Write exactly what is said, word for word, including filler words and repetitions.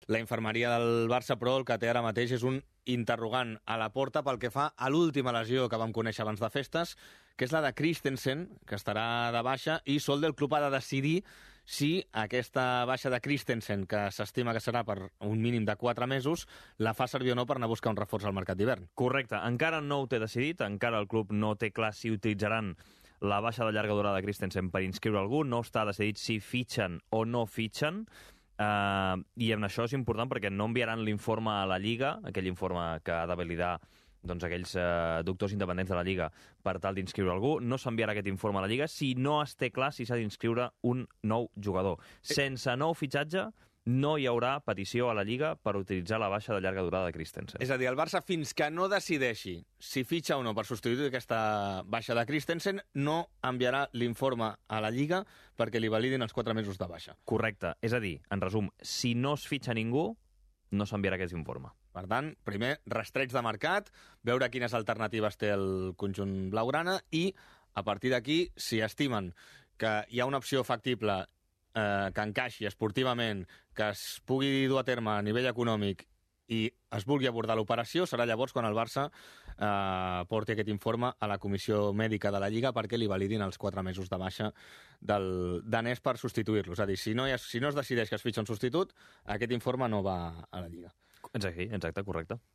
La infermeria del Barça, però, el que té ara mateix és un interrogant a la porta pel que fa a l'última lesió que vam conèixer abans de festes, que és la de Christensen, que estarà de baixa, i Sol del club ha de decidir si aquesta baixa de Christensen, que s'estima que serà per un mínim de quatre mesos, la fa servir o no per anar a buscar un reforç al mercat d'hivern. Correcte. Encara no ho té decidit, encara el club no té clar si utilitzaran la baixa de llarga durada de Christensen per inscriure algú, no està decidit si fitxen o no fitxen. Uh, i en això és important perquè no enviaran l'informe a la Lliga, aquell informe que ha de validar doncs, aquells uh, doctors independents de la Lliga per tal d'inscriure algú. No s'enviarà aquest informe a la Lliga si no es té clar si s'ha d'inscriure un nou jugador. Sense nou fitxatge no hi haurà petició a la Lliga per utilitzar la baixa de llarga durada de Christensen. És a dir, el Barça, fins que no decideixi si fitxa o no per substituir aquesta baixa de Christensen, no enviarà l'informe a la Lliga perquè li validin els quatre mesos de baixa. Correcte. És a dir, en resum, si no es fitxa ningú, no s'enviarà aquest informe. Per tant, primer, rastreig de mercat, veure quines alternatives té el conjunt blaugrana i, a partir d'aquí, si estimen que hi ha una opció factible eh, que encaixi esportivament, que es pugui dur a terme a nivell econòmic i es vulgui abordar l'operació, serà llavors quan el Barça eh, porti aquest informe a la comissió mèdica de la Lliga perquè li validin els quatre mesos de baixa del danès per substituir-lo. És a dir, si no, hi ha, si no es decideix que es fitxa un substitut, aquest informe no va a la Lliga. Exacte, exacte, correcte.